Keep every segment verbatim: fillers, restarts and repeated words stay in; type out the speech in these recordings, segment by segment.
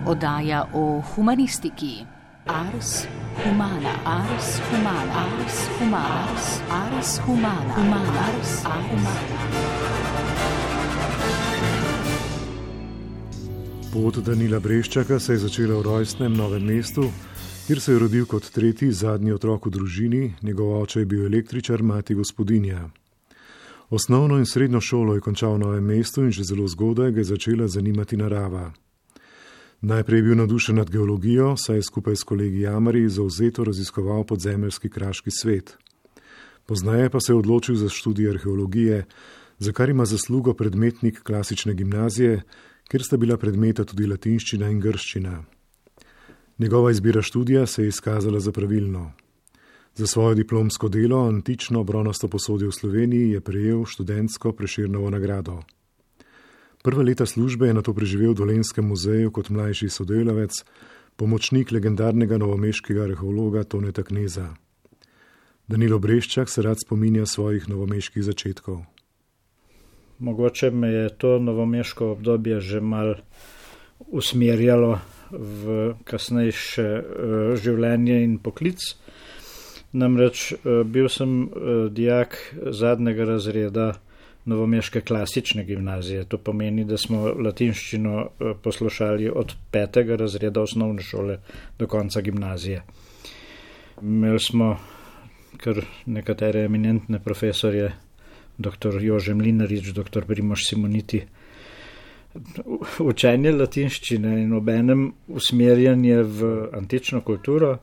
Oddaja o humanistiki. Ars humana, ars humana, ars humana, ars humana, humana, ars humana. Pot Danila Breščaka se je začela v rojstnem Novem mestu, kjer se je rodil kot tretji, zadnji otrok v družini, njegov oče je bil električar, mati gospodinja. Osnovno in srednjo šolo je končal v Novem mestu in že zelo zgodaj ga je začela zanimati narava. Najprej je bil navdušen nad geologijo, saj je skupaj s kolegi jamarji zavzeto raziskoval podzemeljski kraški svet. Poznaje pa se je odločil za študij arheologije, za kar ima zaslugo predmetnik klasične gimnazije, kjer sta bila predmeta tudi latinščina in grščina. Njegova izbira študija se je izkazala za pravilno. Za svoje diplomsko delo antično bronasto posodje v Sloveniji je prejel študentsko Prešernovo nagrado. Prva leta službe je nato preživel v Dolenjskem muzeju kot mlajši sodelavec, pomočnik legendarnega novomeškega arheologa Toneta Kneza. Danilo Breščak se rad spominja svojih novomeških začetkov. Mogoče me je to novomeško obdobje že mal usmerjalo v kasnejše uh, življenje in poklic. Namreč uh, bil sem uh, dijak zadnjega razreda novomeške klasične gimnazije. To pomeni, da smo latinščino uh, poslušali od petega razreda osnovne šole do konca gimnazije. Imeli smo kar nekatere eminentne profesorje, doktor Jože Mlinarič, doktor Primož Simoniti. Učenje latinščine in obenem usmerjanje v antično kulturo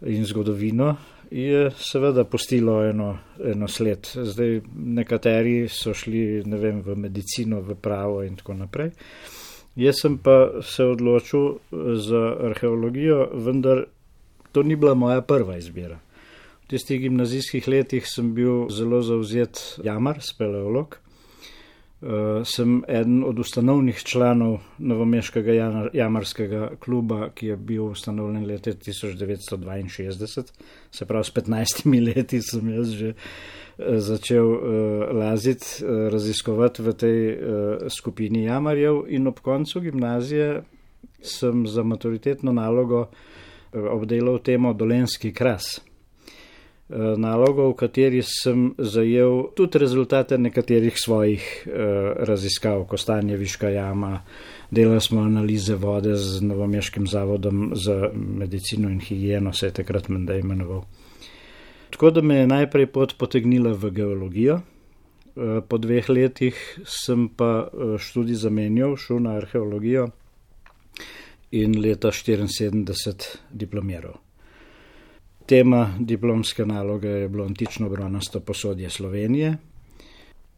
in zgodovino je seveda pustilo eno, eno sled. Zdaj nekateri so šli, ne vem, v medicino, v pravo in tako naprej. Jaz sem pa se odločil za arheologijo, vendar to ni bila moja prva izbira. V tistih gimnazijskih letih sem bil zelo zavzet jamar, speleolog. Uh, sem eden od ustanovnih članov novomeškega jamarskega kluba, ki je bil ustanovljen leta tisoč devetsto dvainšestdeset. Se pravi, s petnajstimi leti sem jaz že uh, začel uh, laziti, uh, raziskovati v tej uh, skupini jamarjev in ob koncu gimnazije sem za maturitetno nalogo uh, obdelal temo Dolenjski kras. Nalogo, v kateri sem zajel tudi rezultate nekaterih svojih eh, raziskav, Kostanjeviška jama, delali smo analize vode z Novomeškim zavodom za medicino in higieno, se je takrat menda imenoval. Tako da me je najprej pot potegnila v geologijo, eh, po dveh letih sem pa študij zamenjal, šel na arheologijo in leta štiriinsedemdeset diplomiral. Tema diplomske naloge je bilo antično bronasto posodje Slovenije.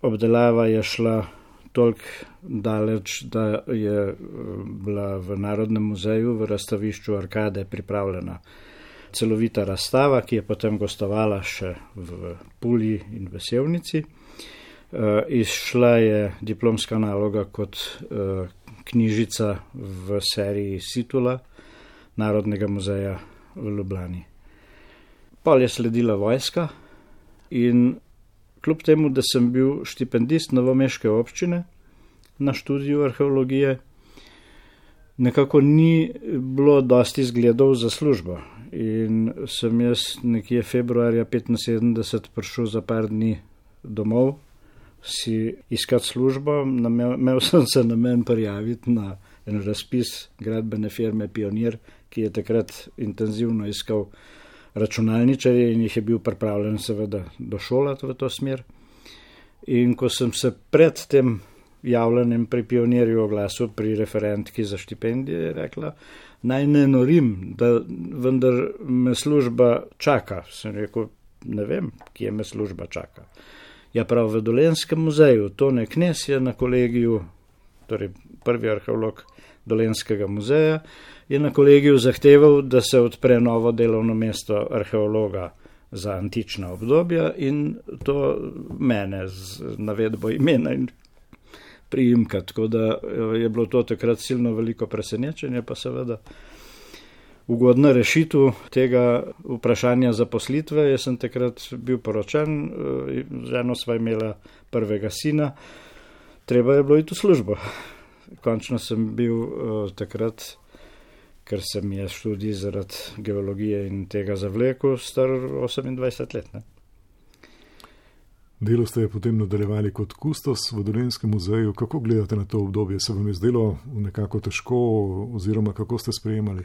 Obdelava je šla toliko daleč, da je bila v Narodnem muzeju v razstavišču Arkade pripravljena celovita razstava, ki je potem gostovala še v Puli in v Sevnici. Izšla je diplomska naloga kot knjižica v seriji Situla Narodnega muzeja v Ljubljani. Pol je sledila vojska in kljub temu, da sem bil štipendist novomeške občine na študiju arheologije, nekako ni bilo dosti zgledov za službo. In sem jaz nekje februarja petinsedemdeset prišel za par dni domov si iskati službo. Imel sem se namen prijaviti na en razpis gradbene firme Pionir, ki je takrat intenzivno iskal računalničarje in jih je bil pripravljen seveda došolati v to smer. In ko sem se pred tem javljanjem pri Pionirju oglasil pri referentki za štipendije, je rekla, naj ne norim, da vendar me služba čaka. Sem rekel, ne vem, kje me služba čaka. Ja, prav v Dolenjskem muzeju, Tone Knez je na kolegiju, torej prvi arheolog Dolenjskega muzeja, je na kolegiju zahteval, da se odpre novo delovno mesto arheologa za antična obdobja in to mene z navedbo imena in priimka. Tako da je bilo to takrat silno veliko presenečenje, pa seveda ugodna rešitev tega vprašanja zaposlitve. Jaz sem takrat bil poročen, z eno sva imela prvega sina, treba je bilo iti v službo. končno sem bil uh, takrat, ker se mi je študij zaradi geologije in tega zavlekel, star osemindvajset let. Ne? Delo ste potem nadaljevali kot kustos v Dolenjskem muzeju. Kako gledate na to obdobje? Se vam je zdelo nekako težko oziroma kako ste sprejemali?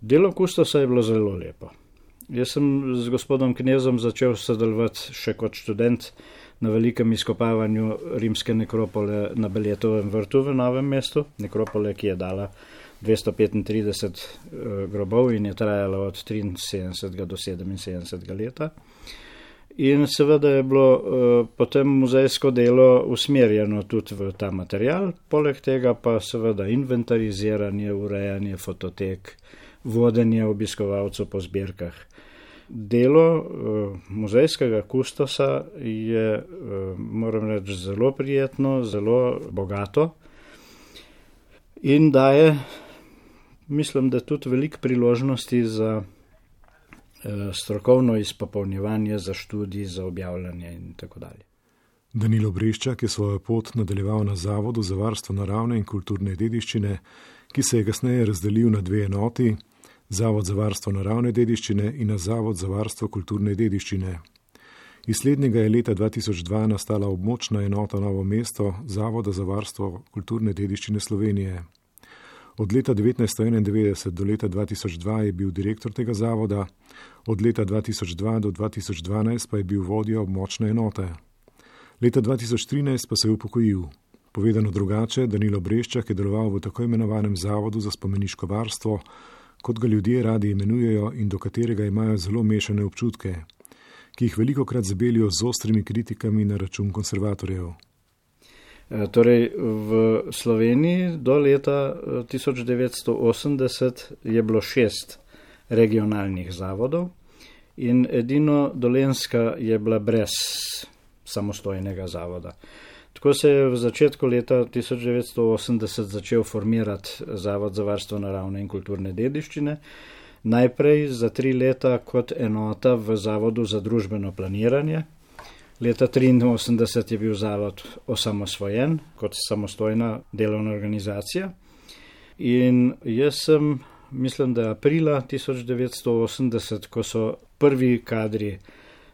Delo kustosa je bilo zelo lepo. Jaz sem z gospodom Knezom začel sodelovati še kot študent na velikem izkopavanju rimske nekropole na Beljetovem vrtu v Novem mestu. Nekropole, ki je dala dvesto petintrideset grobov in je trajala od triinsedemdesetega do sedeminsedemdesetega leta. In seveda je bilo uh, potem muzejsko delo usmerjeno tudi v ta material, poleg tega pa seveda inventariziranje, urejanje fototek, vodenje obiskovalcev po zbirkah. Delo uh, muzejskega kustosa je, uh, moram reči, zelo prijetno, zelo bogato in daje, mislim, da tudi veliko priložnosti za strokovno izpopolnjevanje, za študij, za objavljanje in tako dalje. Danilo Breščak je svojo pot nadaljeval na Zavodu za varstvo naravne in kulturne dediščine, ki se je kasneje razdelil na dve enoti, Zavod za varstvo naravne dediščine in na Zavod za varstvo kulturne dediščine. Iz slednjega je leta dva tisoč dva nastala območna enota Novo mesto Zavoda za varstvo kulturne dediščine Slovenije. Od leta devetnajststo enaindevetdeset do leta dva tisoč dva je bil direktor tega zavoda, od leta dva tisoč dva do dva tisoč dvanajst pa je bil vodja območne enote. Leta dva tisoč trinajst pa se je upokojil. Povedano drugače, Danilo Breščak je deloval v tako imenovanem Zavodu za spomeniško varstvo, kot ga ljudje radi imenujejo in do katerega imajo zelo mešane občutke, ki jih velikokrat zabelijo z ostrimi kritikami na račun konservatorjev. Torej, v Sloveniji do leta tisoč devetsto osemdeset je bilo šest regionalnih zavodov in edino Dolenjska je bila brez samostojnega zavoda. Tako se je v začetku leta tisoč devetsto osemdeset začel formirati Zavod za varstvo naravne in kulturne dediščine, najprej za tri leta kot enota v Zavodu za družbeno planiranje. Leta triinosemdeset je bil zavod osamosvojen kot samostojna delovna organizacija in jaz sem, mislim, da aprila tisoč devetsto osemdeset, ko so prvi kadri,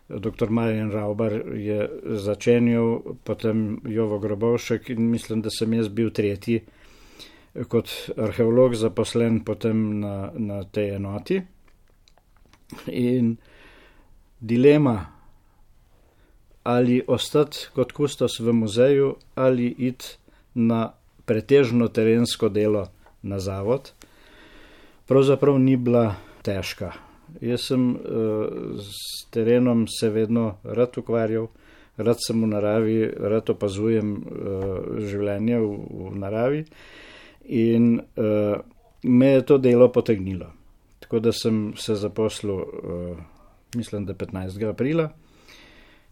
doktor Marjan Ravbar je začenjal, potem Jovo Grobovšek in mislim, da sem jaz bil tretji kot arheolog zaposlen potem na, na tej enoti. In dilema, ali ostati kot kustos v muzeju ali iti na pretežno terensko delo na zavod, pravzaprav ni bila težka. Jaz sem uh, s terenom se vedno rad ukvarjal, rad sem v naravi, rad opazujem uh, življenje v, v naravi in uh, me je to delo potegnilo. Tako da sem se zaposlil, uh, mislim, da petnajstega aprila.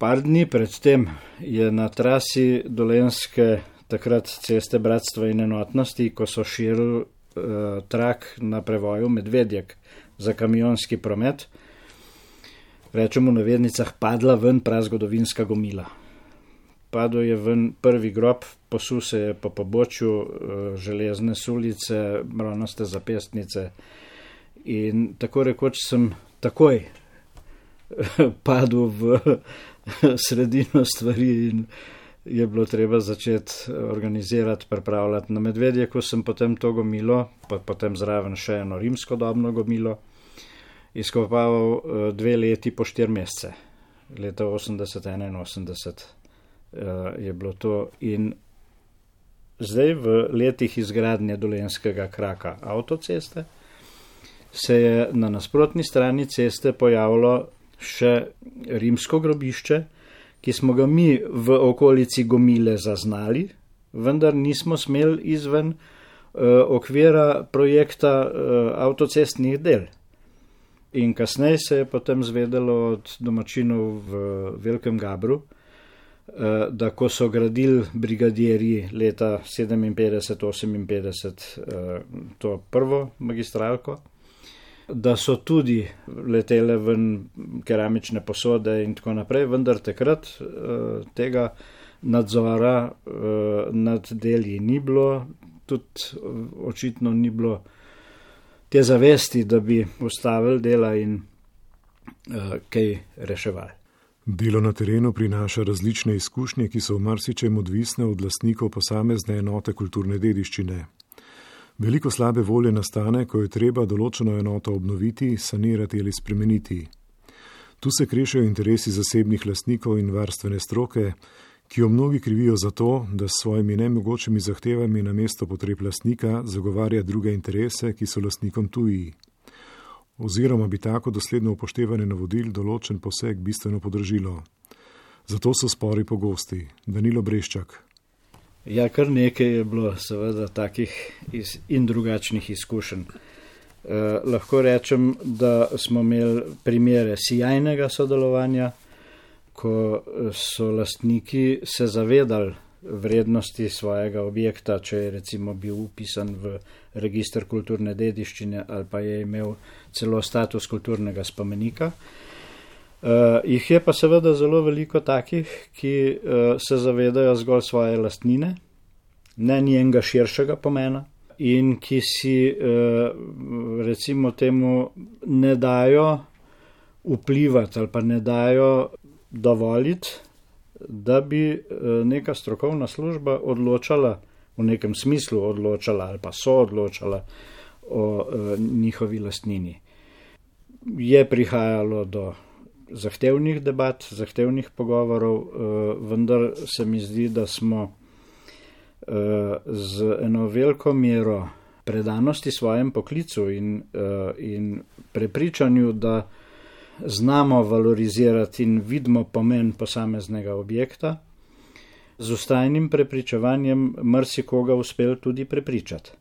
Par dni predtem je na trasi Dolenjske takrat ceste Bratstva in enotnosti, ko so širili uh, trak na prevoju Medvedjek za kamionski promet, rečemo v navednicah, padla ven prazgodovinska gomila. Padel je ven prvi grob, posul se je po pobočju uh, železne sulice, bronaste zapestnice in tako rekoč sem takoj padel v sredino stvari in je bilo treba začeti organizirati, pripravljati. Na Medvedjeku sem potem to gomilo, pa potem zraven še eno rimskodobno gomilo, izkopaval dve leti po štiri mesece. Leta osemdeset enainosemdeset je bilo to in zdaj v letih izgradnje Dolenjskega kraka avtoceste se je na nasprotni strani ceste pojavilo še rimsko grobišče, ki smo ga mi v okolici gomile zaznali, vendar nismo smeli izven uh, okvira projekta uh, avtocestnih del. In kasneje se je potem zvedelo od domačinov v Velikem Gabru, uh, da ko so gradili brigadirji leta sedeminpetdeset oseminpetdeset uh, to prvo magistralko, da so tudi letele ven keramične posode in tako naprej, vendar takrat uh, tega nadzora nad deli ni bilo, tudi očitno ni bilo te zavesti, da bi ustavili dela in kaj reševali. Delo na terenu prinaša različne izkušnje, ki so v marsičem odvisne od lastnikov posamezne enote kulturne dediščine. Veliko slabe volje nastane, ko je treba določeno enoto obnoviti, sanirati ali spremeniti. Tu se krešejo interesi zasebnih lastnikov in varstvene stroke, ki jo mnogi krivijo za to, da s svojimi nemogočimi zahtevami na mesto potreb lastnika zagovarja druge interese, ki so lastnikom tuji. Oziroma bi tako dosledno upoštevanje navodil določen poseg bistveno podražilo. Zato so spori pogosti. Danilo Breščak. Ja, kar nekaj je bilo seveda takih in drugačnih izkušenj. Eh, lahko rečem, da smo imeli primere sijajnega sodelovanja, ko so lastniki se zavedali vrednosti svojega objekta, če je recimo bil upisan v register kulturne dediščine ali pa je imel celo status kulturnega spomenika. Uh, jih je pa seveda zelo veliko takih, ki uh, se zavedajo zgolj svoje lastnine, ne njenega širšega pomena in ki si uh, recimo temu ne dajo vplivati ali pa ne dajo dovoliti, da bi neka strokovna služba odločala, v nekem smislu odločala ali pa so odločala o e, njihovi lastnini. Je prihajalo do zahtevnih debat, zahtevnih pogovorov, e, vendar se mi zdi, da smo e, z eno veliko mero predanosti svojem poklicu in, e, in prepričanju, da znamo valorizirati in vidimo pomen posameznega objekta, z vztrajnim prepričevanjem marsikoga uspel tudi prepričati.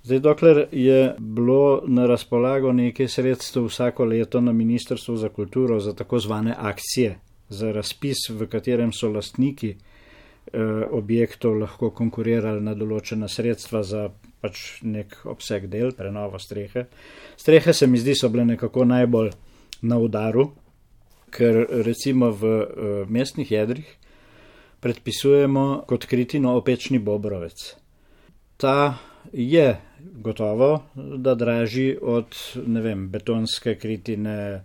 Zdaj, dokler je bilo na razpolago nekaj sredstev vsako leto na Ministrstvu za kulturo za tako zvane akcije, za razpis, v katerem so lastniki eh, objektov lahko konkurirali na določena sredstva za pač nek obseg del, prenovo strehe. Strehe se mi zdi so bile nekako najbolj na udaru, ker recimo v uh, mestnih jedrih predpisujemo kot kritino opečni bobrovec. Ta je gotovo, da dražji od, ne vem, betonske kritine,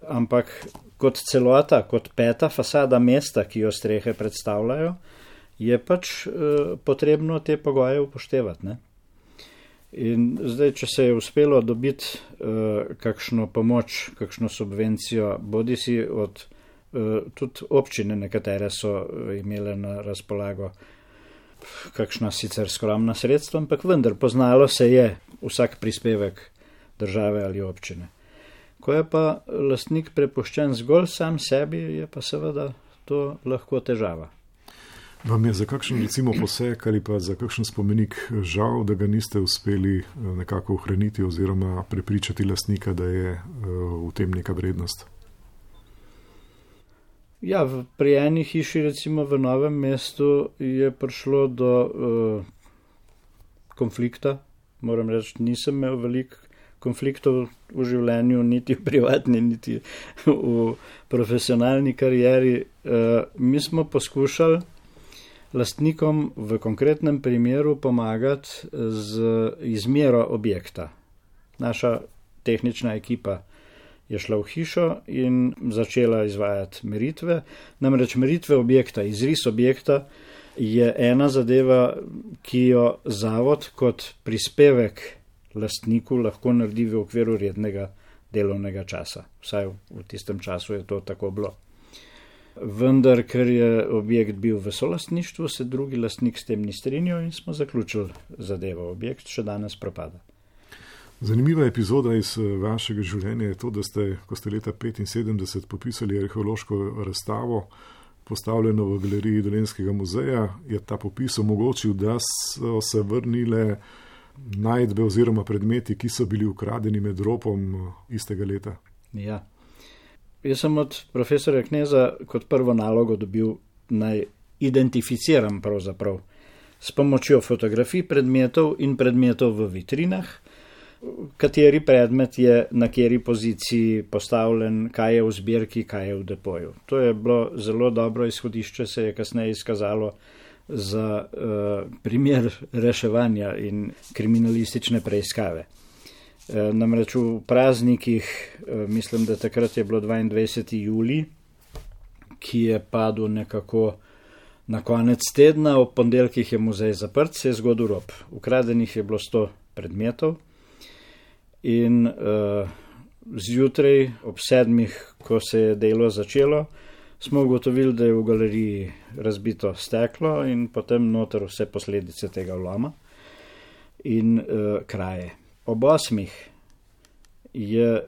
ampak kot celota, kot peta fasada mesta, ki jo strehe predstavljajo, je pač uh, potrebno te pogoje upoštevati, ne? In zdaj, če se je uspelo dobiti uh, kakšno pomoč, kakšno subvencijo, bodi si od uh, tudi občine, nekatere so imele na razpolago kakšna sicer skromna sredstva, ampak vendar poznalo se je vsak prispevek države ali občine. Ko je pa lastnik prepuščen zgolj sam sebi, je pa seveda to lahko težava. Vam je za kakšen recimo poseg ali pa za kakšen spomenik žal, da ga niste uspeli nekako ohraniti oziroma prepričati lastnika, da je v tem neka vrednost? Ja, pri eni hiši recimo v Novem mestu je prišlo do uh, konflikta. Moram reči, nisem imel veliko konfliktov v življenju, niti v privatni, niti v profesionalni karieri. Uh, mi smo poskušali lastnikom v konkretnem primeru pomagati z izmero objekta. Naša tehnična ekipa je šla v hišo in začela izvajati meritve. Namreč meritve objekta, izris objekta je ena zadeva, ki jo zavod kot prispevek lastniku lahko naredi v okviru rednega delovnega časa. Vsaj v tistem času je to tako bilo. Vendar, ker je objekt bil v solastništvu, se drugi lastnik s tem ni strinjal in smo zaključili zadevo. Objekt še danes propada. Zanimiva epizoda iz vašega življenja je to, da ste, ko ste leta petinsedemdeset popisali arheološko razstavo, postavljeno v galeriji Dolenjskega muzeja, je ta popis omogočil, da so se vrnile najdbe oziroma predmeti, ki so bili ukradeni med ropom istega leta. Ja. Jaz sem od profesorja Kneza kot prvo nalogo dobil naj identificiram pravzaprav s pomočjo fotografij predmetov in predmetov v vitrinah kateri predmet je na kateri poziciji postavljen, kaj je v zbirki, kaj je v depoju. To je bilo zelo dobro izhodišče, se je kasneje izkazalo za uh, primer reševanja in kriminalistične preiskave. Uh, namreč v praznikih, uh, mislim, da takrat je bilo dvaindvajseti julij, ki je padel nekako na konec tedna, ob ponedeljkih je muzej zaprt, se je zgodil rop. Ukradenih je bilo sto predmetov in uh, zjutraj ob sedmih, ko se je delo začelo, smo ugotovili, da je v galeriji razbito steklo in potem noter vse posledice tega vloma in uh, kraje. Ob osmih je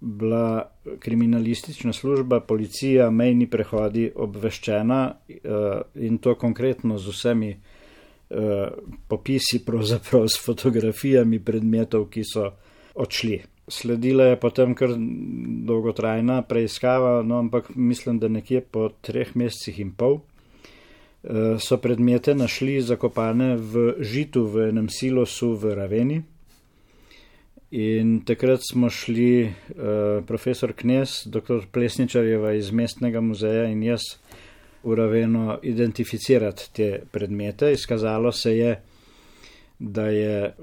bila kriminalistična služba, policija, mejni prehodi obveščena uh, in to konkretno z vsemi uh, popisi, pravzaprav s fotografijami predmetov, ki so odšli. Sledila je potem kar dolgotrajna preiskava, no, ampak mislim, da nekje po treh mesecih in pol uh, so predmete našli zakopane v žitu v enem silosu v Raveni. In takrat smo šli uh, profesor Knez, doktor Plesničarjeva iz mestnega muzeja in jaz v Raveno identificirati te predmete. Izkazalo se je, da je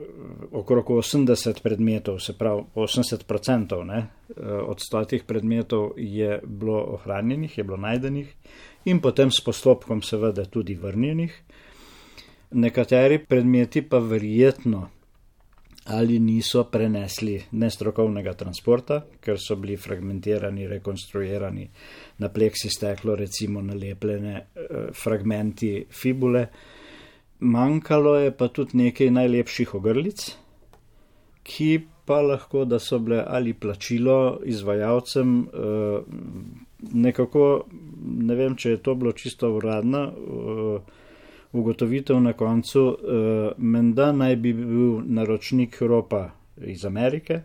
okrog osemdeset predmetov, se pravi osemdeset procentov ne, od stotih predmetov je bilo ohranjenih, je bilo najdenih in potem s postopkom seveda tudi vrnjenih. Nekateri predmeti pa verjetno ali niso prenesli nestrokovnega transporta, ker so bili fragmentirani, rekonstruirani na pleksi steklo, recimo nalepljene eh, fragmenti fibule. Manjkalo je pa tudi nekaj najlepših ogrlic, ki pa lahko, da so bile ali plačilo izvajalcem, eh, nekako, ne vem, če je to bilo čisto uradno, eh, ugotovitev na koncu, uh, menda naj bi bil naročnik ropa iz Amerike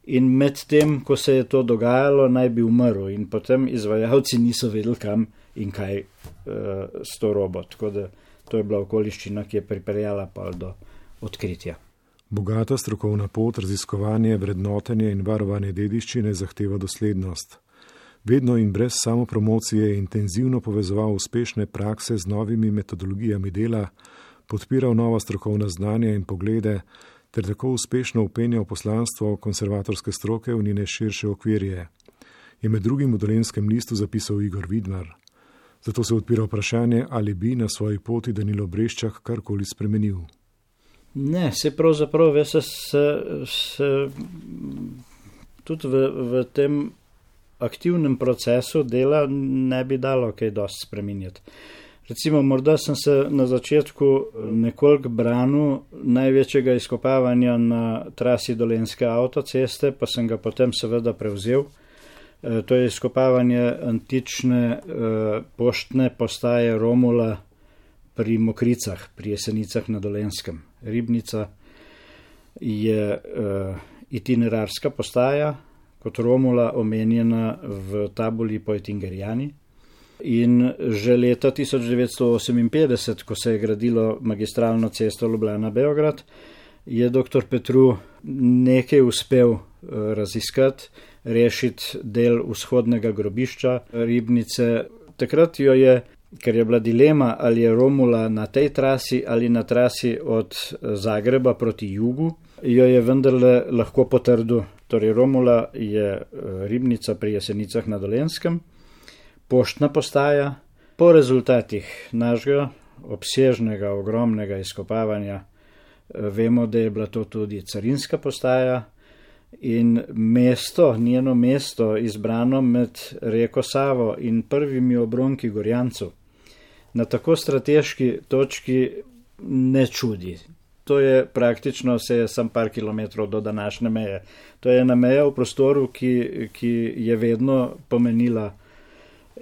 in med tem, ko se je to dogajalo, naj bi umrl in potem izvajalci niso vedeli kam in kaj uh, s to robo. Tako da to je bila okoliščina, ki je pripeljala pa do odkritja. Bogata strokovna pot, raziskovanje, vrednotenje in varovanje dediščine zahteva doslednost. Vedno in brez samopromocije je intenzivno povezoval uspešne prakse z novimi metodologijami dela, podpiral nova strokovna znanja in poglede, ter tako uspešno upenjal poslanstvo konservatorske stroke v njene širše okvirje, je med drugim v Dolenjskem listu zapisal Igor Vidmar. Zato se odpira vprašanje, ali bi na svoji poti Danilo Breščak karkoli spremenil. Ne, se pravzaprav, veš, se, se tudi v, v tem aktivnem procesu dela ne bi dalo kaj dosti spreminjati. Recimo, morda sem se na začetku nekoliko branil največjega izkopavanja na trasi Dolenjske avtoceste, pa sem ga potem seveda prevzel. E, to je izkopavanje antične e, poštne postaje Romula pri Mokricah, pri Jesenicah na Dolenjskem. Ribnica je e, itinerarska postaja, kot Romula omenjena v tabuli Poetingerijani. In že leta tisoč devetsto oseminpetdeset, ko se je gradilo magistralno cesto Ljubljana-Beograd, je doktor Petru nekaj uspel raziskati, rešiti del vzhodnega grobišča Ribnice. Takrat jo je, ker je bila dilema, ali je Romula na tej trasi ali na trasi od Zagreba proti jugu, jo je vendarle lahko potrdil. Torej, Romula je Ribnica pri Jesenicah na Dolenjskem, poštna postaja. Po rezultatih našega obsežnega, ogromnega izkopavanja vemo, da je bila to tudi carinska postaja in mesto, njeno mesto izbrano med reko Savo in prvimi obronki Gorjancev na tako strateški točki ne čudi. To je praktično vse sam par kilometrov do današnje meje. To je ena meja v prostoru, ki, ki je vedno pomenila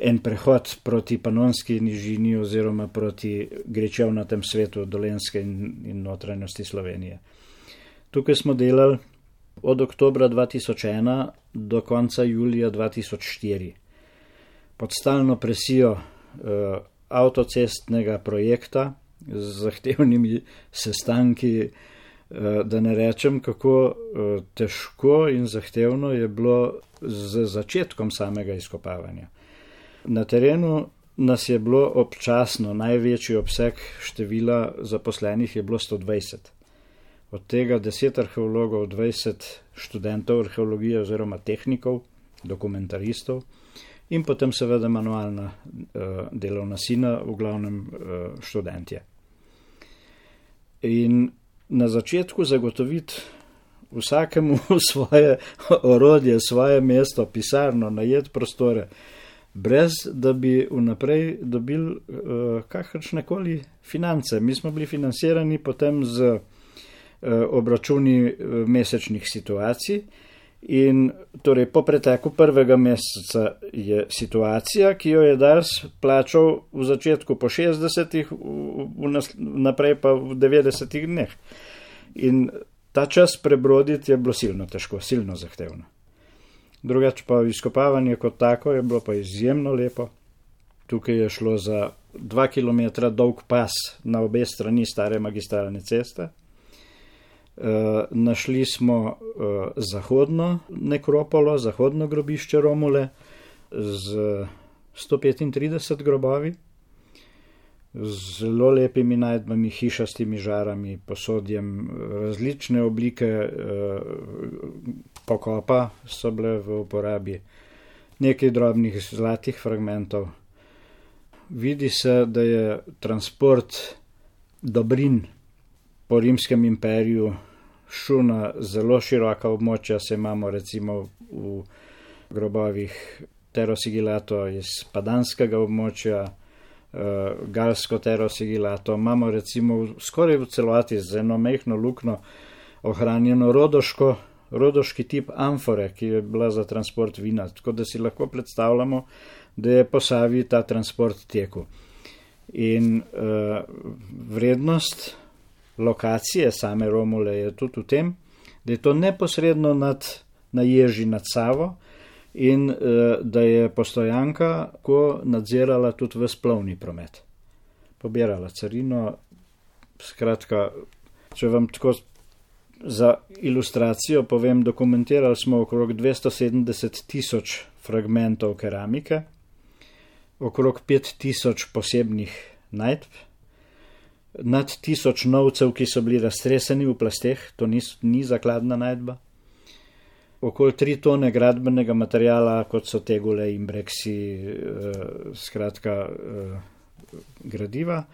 en prehod proti Panonski nižini oziroma proti grečevnatem svetu Dolenjske in, in notranjosti Slovenije. Tukaj smo delali od oktobra dva tisoč ena do konca julija dva tisoč štiri. Pod stalno presijo eh, avtocestnega projekta, z zahtevnimi sestanki, Da ne rečem, kako težko in zahtevno je bilo z začetkom samega izkopavanja. Na terenu nas je bilo občasno, največji obseg števila zaposlenih je bilo sto dvajset. Od tega deset arheologov, dvajset študentov arheologije oziroma tehnikov, dokumentaristov in potem seveda manualna delovna sila, v glavnem študentje. In na začetku zagotoviti vsakemu svoje orodje, svoje mesto, pisarno, najeti prostore, brez da bi vnaprej dobili uh, kakršnekoli finance. Mi smo bili financirani potem z uh, obračuni uh, mesečnih situacij in torej po preteku prvega meseca je situacija, ki jo je Dars plačal v začetku po šestdesetih, v, v nas, naprej pa v devetdesetih dneh. In ta čas prebroditi je bilo silno težko, silno zahtevno. Drugače pa izkopavanje kot tako je bilo pa izjemno lepo. Tukaj je šlo za dva kilometra dolg pas na obe strani stare magistralne ceste. E, našli smo e, zahodno nekropolo, zahodno grobišče Romule z sto petintrideset grobovi, z zelo lepimi najdbami, hišastimi žarami, posodjem, različne oblike e, pokopa so bile v uporabi, nekaj drobnih zlatih fragmentov. Vidi se, da je transport dobrin po Rimskem imperiju šel na zelo široka območja, se imamo recimo v grobovih Terosigilato iz Padanskega območja, Galsko Terosigilato, imamo recimo skoraj v celoti z eno mehno lukno ohranjeno rodoško rodoški tip amfore, ki je bila za transport vina, tako da si lahko predstavljamo, da je po Savi ta transport tekel. In uh, vrednost lokacije same Romule je tudi v tem, da je to neposredno nad, na ježi nad Savo in uh, da je postojanka ko nadzirala tudi ves plovni promet. Pobirala carino, skratka, če vam tako za ilustracijo povem, dokumentirali smo okrog dvesto sedemdeset tisoč fragmentov keramike, okrog pet tisoč posebnih najdb, nad tisoč novcev, ki so bili raztreseni v plasteh, to ni, ni zakladna najdba, okoli tri tone gradbenega materijala, kot so tegule in breksi, eh, skratka eh, gradiva.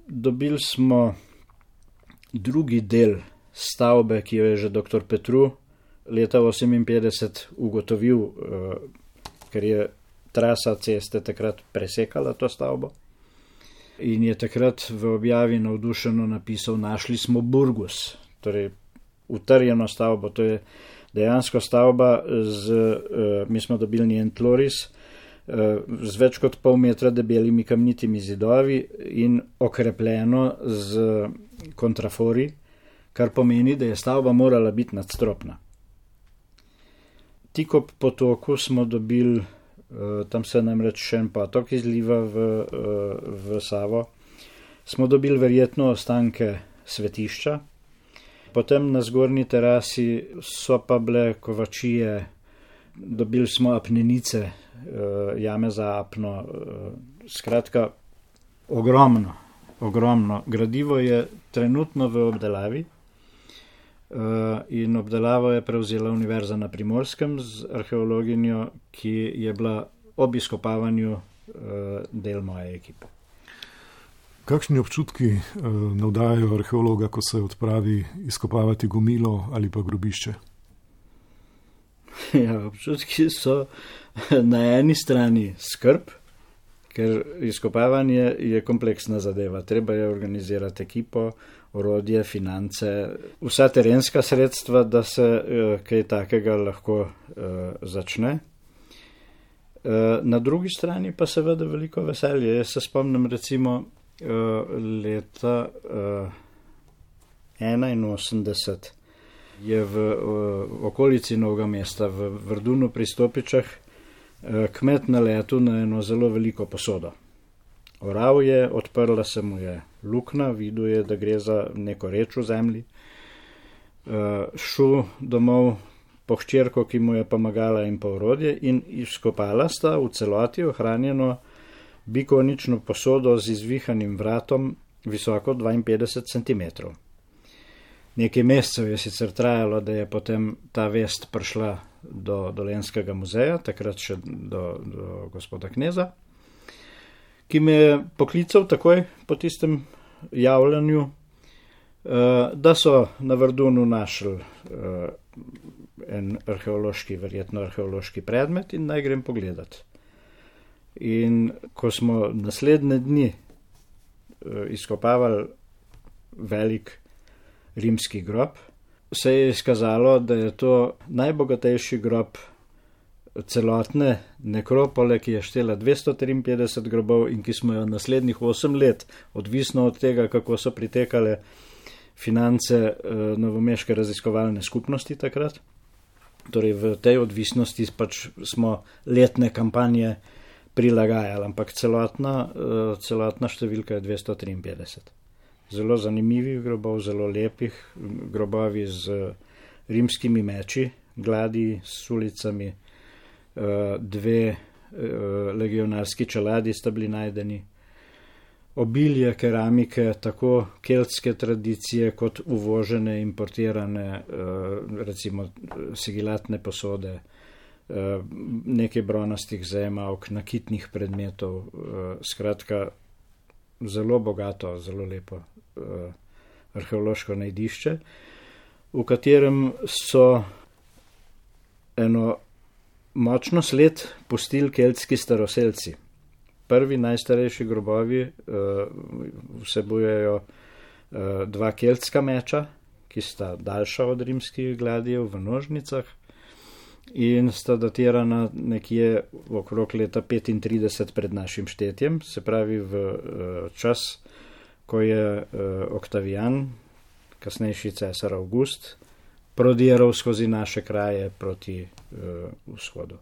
Dobili smo drugi del stavbe, ki jo je že doktor Petru leta oseminpetdeset ugotovil, ker je trasa ceste takrat presekala to stavbo. In je takrat v objavi navdušeno napisal: našli smo Burgus, torej utrjeno stavbo. To je dejansko stavba, z, mi smo dobili njen tloris, z več kot pol metra debelimi kamnitimi zidovi in okrepljeno z kontrafori, kar pomeni, da je stavba morala biti nadstropna. Tik ob potoku smo dobili, tam se namreč še en potok izliva v, v Savo, smo dobili verjetno ostanke svetišča. Potem na zgornji terasi so pa bile kovačije, dobili smo apnenice, jame za apno, skratka ogromno, ogromno. Gradivo je trenutno v obdelavi. In obdelavo je prevzela Univerza na Primorskem z arheologinjo, ki je bila ob izkopavanju del moje ekipe. Kakšni občutki navdajajo arheologa, ko se odpravi izkopavati gomilo ali pa grobišče? Ja, občutki so na eni strani skrb, ker izkopavanje je kompleksna zadeva. Treba je organizirati ekipo, orodje, finance, vsa terenska sredstva, da se uh, kaj takega lahko uh, začne. Uh, na drugi strani pa seveda veliko veselje. Jaz se spomnim recimo uh, leta uh, enainosemdeset je v uh, okolici Novega mesta, v Vrdunu pri Stopičah, uh, kmet naletel na eno zelo veliko posodo. Oral je, odprla se mu je luknja, videl je, da gre za neko reč v zemlji. Uh, šel domov po hčerko, ki mu je pomagala in po orodje in izkopala sta v celoti ohranjeno bikonično posodo z izvihanim vratom visoko dvainpetdeset centimetrov. Nekaj mesecev je sicer trajalo, da je potem ta vest prišla do Dolenjskega muzeja, takrat še do, do gospoda Kneza, ki me je poklical takoj po tistem javljanju, da so na Vrdunu našli en arheološki, verjetno arheološki predmet in naj grem pogledat. In ko smo naslednje dni izkopavali velik rimski grob, se je izkazalo, da je to najbogatejši grob celotne nekropole, ki je štela dvesto triinpetdeset grobov in ki smo jo naslednjih osem let, odvisno od tega, kako so pritekale finance novomeške raziskovalne skupnosti takrat. Torej v tej odvisnosti pač smo letne kampanje prilagajali, ampak celotna, celotna številka je dvesto triinpetdeset. Zelo zanimivih grobov, zelo lepih grobovi z rimskimi meči, gladi s ulicami, dve legionarski čeladi sta bili najdeni, obilje keramike, tako keltske tradicije kot uvožene, importirane, recimo sigilatne posode, nekaj bronastih zemavk, nakitnih predmetov, skratka zelo bogato, zelo lepo arheološko najdišče, v katerem so eno močno sled pustili keltski staroselci. Prvi najstarejši grobovi vsebujejo dva keltska meča, ki sta daljša od rimskih gladijev v nožnicah in sta datirana nekje okrog leta petintrideset pred našim štetjem, se pravi v čas, ko je Oktavijan, kasnejši cesar Avgust, prodiral skozi naše kraje proti vzhodu.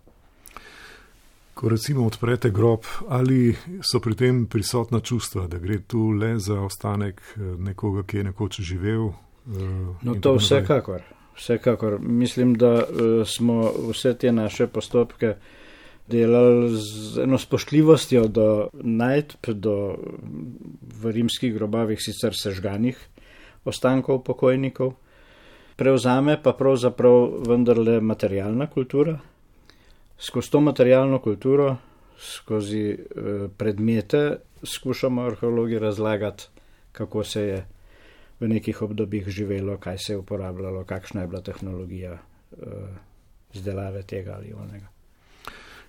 Ko recimo odprete grob, ali so pri tem prisotna čustva, da gre tu le za ostanek nekoga, ki je nekoč živel? No to vsekakor, vsekakor. Mislim, da smo vse te naše postopke delali z eno spoštljivostjo do najdb, do v rimskih grobovih sicer sežganih ostankov pokojnikov. Prevzame pa pravzaprav vendarle materialna kultura. Skozi to materialno kulturo, skozi predmete skušamo arheologi razlagati, kako se je v nekih obdobjih živelo, kaj se je uporabljalo, kakšna je bila tehnologija izdelave tega ali onega.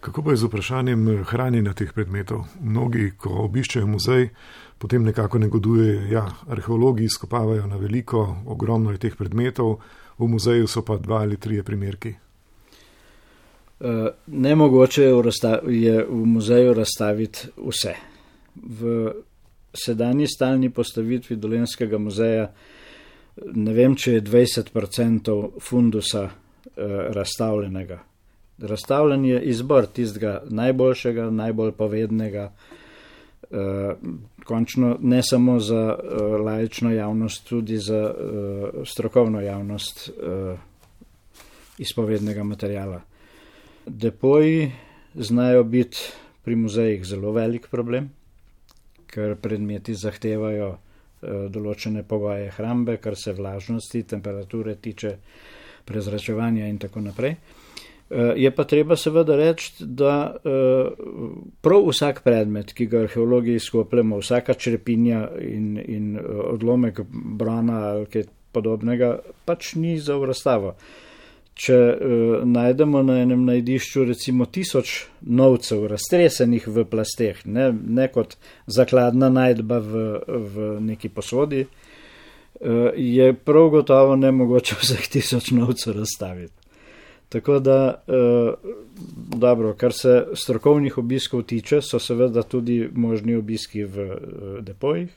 Kako pa je z vprašanjem hranjenja teh predmetov? Mnogi, ko obiščejo muzej, potem nekako negodujejo, ja, arheologi izkopavajo na veliko, ogromno je teh predmetov, v muzeju so pa dva ali trije primerki. Nemogoče je v muzeju razstaviti vse. V sedanji stalni postavitvi Dolenjskega muzeja ne vem, če je dvajset procentov fundusa razstavljenega. Razstavljen je izbor tistega najboljšega, najbolj povednega, končno ne samo za laično javnost, tudi za strokovno javnost izpovednega materijala. Depoji znajo biti pri muzejih zelo velik problem, ker predmeti zahtevajo določene pogoje hrambe, kar se vlažnosti, temperature tiče, prezračevanja in tako naprej. Je pa treba seveda reči, da prav vsak predmet, ki ga arheologi izkopljamo, vsaka črepinja in, in odlomek brona ali kaj podobnega, pač ni za v razstavo. Če uh, najdemo na enem najdišču recimo tisoč novcev raztresenih v plasteh, ne, ne kot zakladna najdba v, v neki posodi, uh, je prav gotovo nemogoče vseh tisoč novcev razstaviti. Tako da, uh, dobro, kar se strokovnih obiskov tiče, so seveda tudi možni obiski v uh, depojih.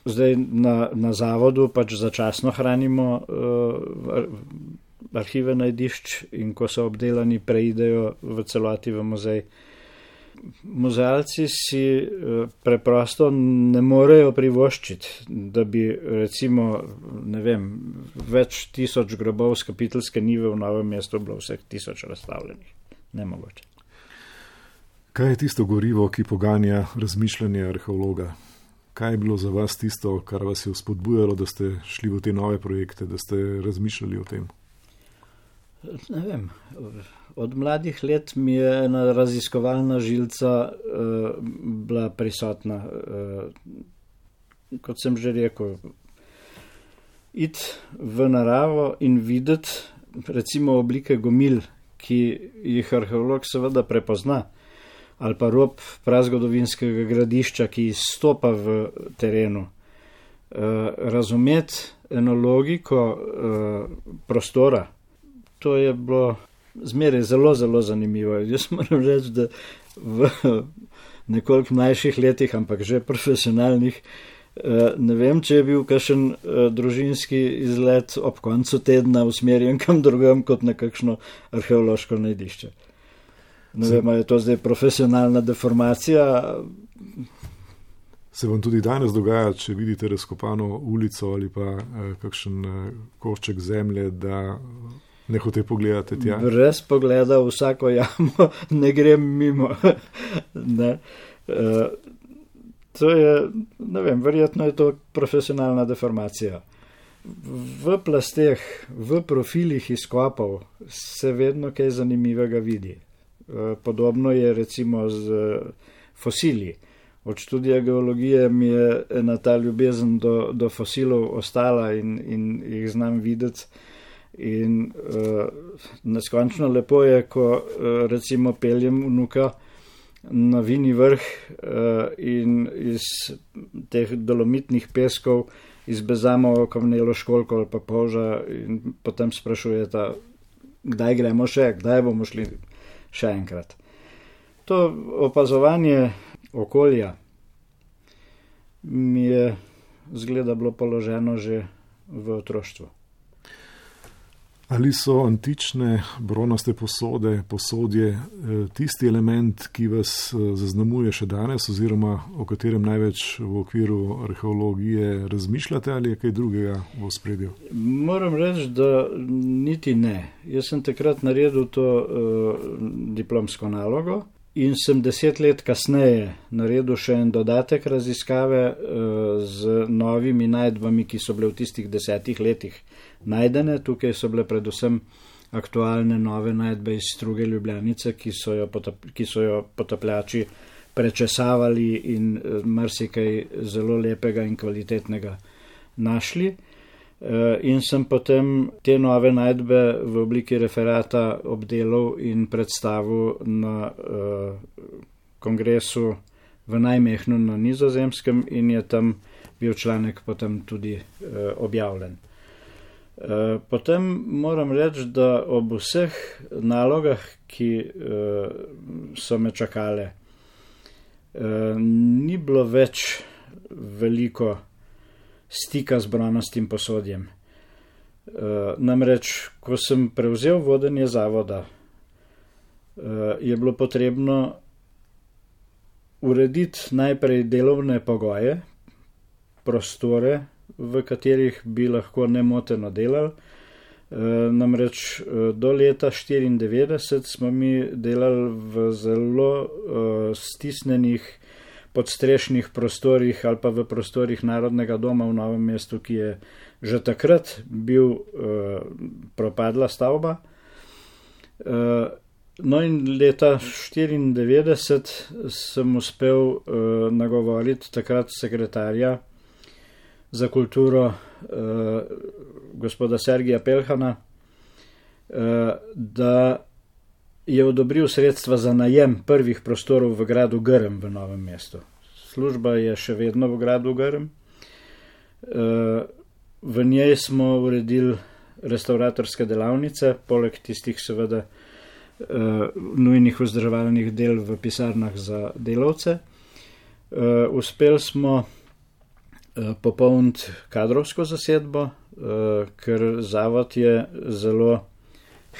Zdaj na, na zavodu pač začasno hranimo uh, arhive najdišč in ko so obdelani, preidejo v celoti v muzej. Muzealci si preprosto ne morejo privoščiti, da bi recimo, ne vem, več tisoč grobov s Kapiteljske njive v Novem mestu bilo vseh tisoč razstavljenih. Nemogoče. Kaj je tisto gorivo, ki poganja razmišljanje arheologa? Kaj je bilo za vas tisto, kar vas je vzpodbujalo, da ste šli v te nove projekte, da ste razmišljali o tem? Ne vem, od mladih let mi je ena raziskovalna žilca uh, bila prisotna. Uh, kot sem že rekel, iti v naravo in videti recimo oblike gomil, ki jih arheolog seveda prepozna, ali pa rob prazgodovinskega gradišča, ki izstopa v terenu. Uh, razumeti eno logiko uh, prostora, to je bilo zmeraj zelo, zelo zanimivo. Jaz moram reči, da v nekoliko mlajših letih, ampak že profesionalnih, ne vem, če je bil kakšen družinski izlet ob koncu tedna usmerjen kam drugam kot na kakšno arheološko najdišče. Ne vem, je to zdaj profesionalna deformacija. Se vam tudi danes dogaja, če vidite razkopano ulico ali pa kakšen košček zemlje, da ne hote pogledati tja? Brez pogleda vsako jamo ne grem mimo. ne. Uh, to je, ne vem, verjetno je to profesionalna deformacija. V plasteh, v profilih izkopov se vedno kaj zanimivega vidi. Uh, podobno je recimo z fosili. Od študija geologije mi je ena ta ljubezen do, do fosilov ostala in, in jih znam videti. In uh, neskončno lepo je, ko uh, recimo peljem vnuka na Vini vrh uh, in iz teh dolomitnih peskov izbezamo kamnelo školjko ali pa polža in potem sprašujeta, kdaj gremo še, kdaj bomo šli še enkrat. To opazovanje okolja mi je zgleda bilo položeno že v otroštvu. Ali so antične bronaste posode, posodje, tisti element, ki vas zaznamuje še danes oziroma o katerem največ v okviru arheologije razmišljate ali je kaj drugega v ospredju? Moram reči, da niti ne. Jaz sem takrat naredil to uh, diplomsko nalogo in sem deset let kasneje naredil še en dodatek raziskave uh, z novimi najdbami, ki so bile v tistih desetih letih najdene. Tukaj so bile predvsem aktualne nove najdbe iz Struge Ljubljanice, ki so jo, potap, ki so jo potapljači prečesavali in marsikaj zelo lepega in kvalitetnega našli. In sem potem te nove najdbe v obliki referata obdelal in predstavil na uh, kongresu v Najmehnu na Nizozemskem in je tam bil članek potem tudi uh, objavljen. Potem moram reči, da ob vseh nalogah, ki so me čakale, ni bilo več veliko stika z bronastim posodjem. Namreč, ko sem prevzel vodenje zavoda, je bilo potrebno urediti najprej delovne pogoje, prostore, v katerih bi lahko nemoteno delali. E, namreč do leta štiriindevetdeset smo mi delali v zelo e, stisnenih podstrešnih prostorih ali pa v prostorih Narodnega doma v Novem mestu, ki je že takrat bil e, propadla stavba. E, no in leta štiriindevetdeset sem uspel e, nagovoriti takrat sekretarja za kulturo eh, gospoda Sergija Pelhana, eh, da je odobril sredstva za najem prvih prostorov v gradu Grm v Novem mestu. Služba je še vedno v gradu Grm. Eh, v njej smo uredili restauratorske delavnice, poleg tistih seveda eh, nujnih vzdrževalnih del v pisarnah za delavce. Eh, uspeli smo popolniti kadrovsko zasedbo, ker zavod je zelo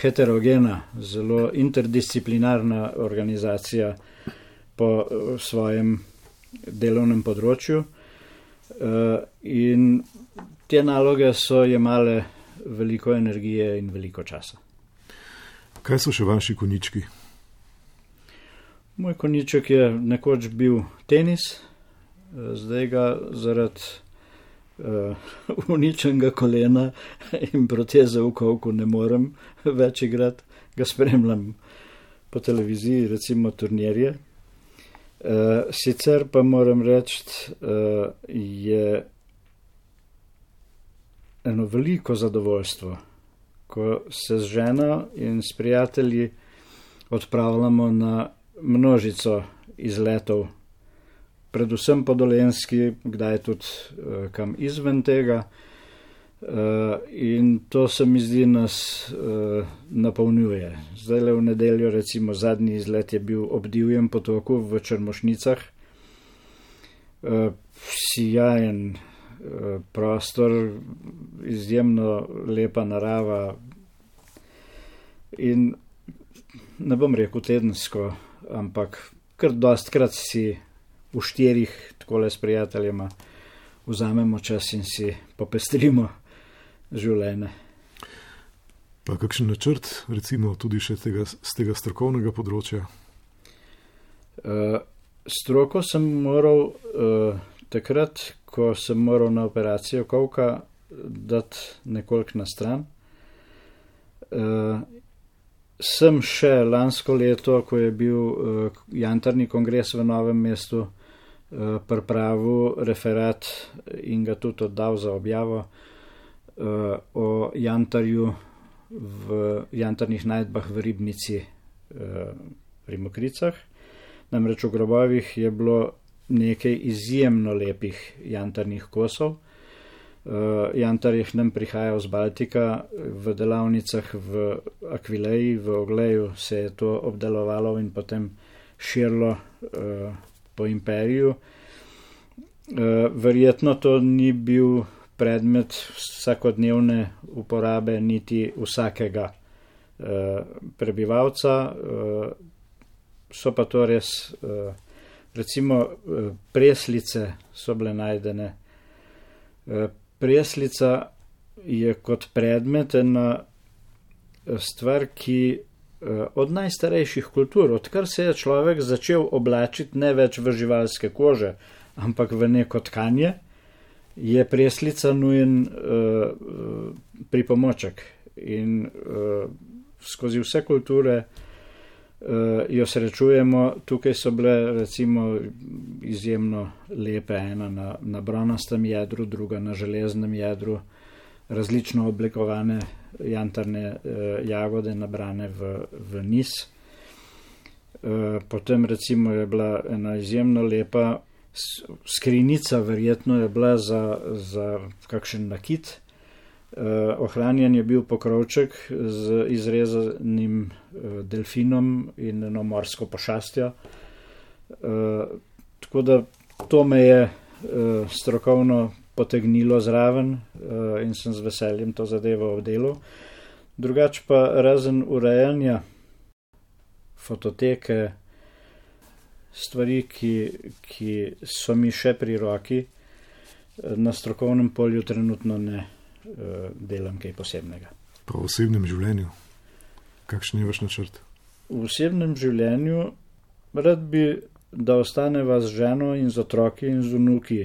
heterogena, zelo interdisciplinarna organizacija, po svojem delovnem področju in te naloge so jemale veliko energije in veliko časa. Kaj so še vaši konjički? Moj konjiček je nekoč bil tenis, zdaj ga zaradi uh, uničenega kolena in proteze v kolku ne morem več igrati, ga spremljam po televiziji, recimo turnirje. Uh, sicer pa moram reči, uh, je eno veliko zadovoljstvo, ko se z ženo in s prijatelji odpravljamo na množico izletov, predvsem po Dolenjski, kdaj tudi uh, kam izven tega. Uh, in to se mi zdi nas uh, napolnjuje. Zdaj le v nedeljo, recimo zadnji izlet je bil ob Divjem potoku v Črmošnicah. Uh, sijajen uh, prostor, izjemno lepa narava in ne bom rekel tedensko, ampak kar dostkrat si v štirih takole s prijateljema vzamemo čas in si popestrimo življenje. Pa kakšen načrt, recimo tudi še tega, z tega strokovnega področja? Uh, stroko sem moral uh, takrat, ko sem moral na operacijo kolka dati nekoliko na stran. Uh, sem še lansko leto, ko je bil uh, jantarni kongres v Novem mestu, uh, pripravil referat in ga tudi oddal za objavo uh, o jantarju v jantarnih najdbah v Ribnici uh, pri Mokricah. Namreč v grobovih je bilo nekaj izjemno lepih jantarnih kosov. Uh, jantar je k nam prihajal z Baltika, v delavnicah v Akvileji, v Ogleju se je to obdelovalo in potem širilo uh, po imperiju. Uh, verjetno to ni bil predmet vsakodnevne uporabe niti vsakega uh, prebivalca. Uh, so pa to res, uh, recimo uh, preslice so bile najdene. Uh, Preslica je kot predmet ena stvar, ki od najstarejših kultur, odkar se je človek začel oblačiti ne več v živalske kože, ampak v neko tkanje, je preslica nujen uh, pripomoček. In uh, skozi vse kulture uh, jo srečujemo. Tukaj so bile recimo izjemno lepe, ena na, na bronastem jedru, druga na železnem jedru, različno oblikovane jantarne uh, jagode nabrane v, v niz. Uh, potem recimo je bila ena izjemno lepa skrinica, verjetno je bila za, za kakšen nakit. Uh, ohranjen je bil pokrovček z izrezanim uh, delfinom in eno morsko pošastjo. Uh, tako da to me je uh, strokovno potegnilo zraven uh, in sem z veseljem to zadevo obdelal. Drugač pa razen urejanja fototeke, stvari, ki, ki so mi še pri roki, na strokovnem polju trenutno ne uh, delam kaj posebnega. Pa v osebnem življenju? Kakšen je vaš načrt? V osebnem življenju rad bi, da ostaneva z ženo in z otroki in z vnuki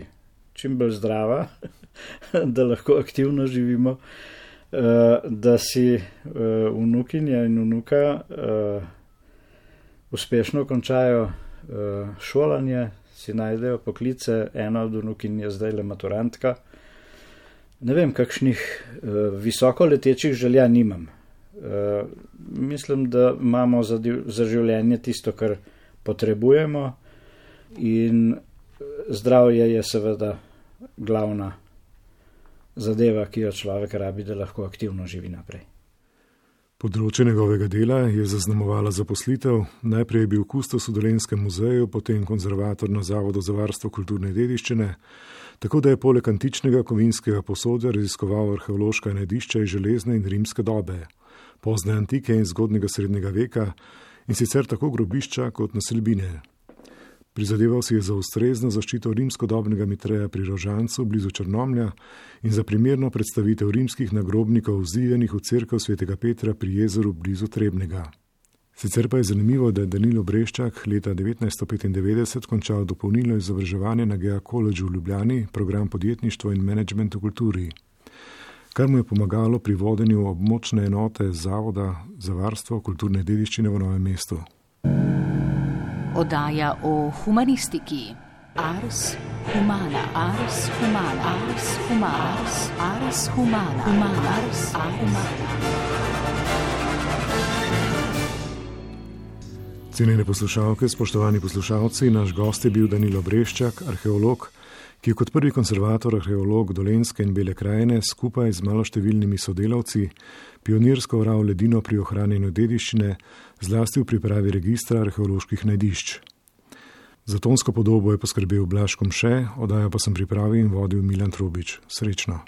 čim bolj zdrava, da lahko aktivno živimo, uh, da si uh, vnukinja in vnuka uh, uspešno končajo uh, šolanje, si najdejo poklice, ena od vnukin je zdaj le maturantka. Ne vem, kakšnih uh, visoko letečih želja nimam. Uh, mislim, da imamo za, za življenje tisto, kar potrebujemo, in zdravje je seveda glavna zadeva, ki jo človek rabi, da lahko aktivno živi naprej. Področje njegovega dela je zaznamovala zaposlitev. Najprej je bil kustos v Dolenjskem muzeju, potem konzervator na Zavodu za varstvo kulturne dediščine, tako da je poleg antičnega kovinskega posodja raziskoval arheološka najdišča iz železne in rimske dobe, pozne antike in zgodnjega srednjega veka, in sicer tako grobišča kot naselbine. Prizadeval si je za ustrezno zaščito rimskodobnega Mitreja pri Rožancu blizu Črnomlja in za primerno predstavitev rimskih nagrobnikov vzijenih v cerkev svetega Petra pri jezeru blizu Trebnjega. Sicer pa je zanimivo, da je Danilo Breščak leta devetnajststo petindevetdeset končal dopolnilno izobraževanje na Gea Collegeu v Ljubljani, program podjetništvo in menedžment v kulturi, kar mu je pomagalo pri vodenju območne enote Zavoda za varstvo kulturne dediščine v Novem mestu. Oddaja o humanistiki. Ars humana, ars humana, ars humana, ars humana, humana, ars humana. Cenjene poslušalke, spoštovani poslušalci, naš gost je bil Danilo Breščak, arheolog, ki je kot prvi konservator arheolog Dolenjske in Bele krajine skupaj z maloštevilnimi sodelavci pionirsko oral ledino pri ohranjanju dediščine, zlasti v pripravi registra arheoloških najdišč. Za tonsko podobo je poskrbel Blaž Komše, oddajo pa sem pripravil in vodil Milan Trobič. Srečno!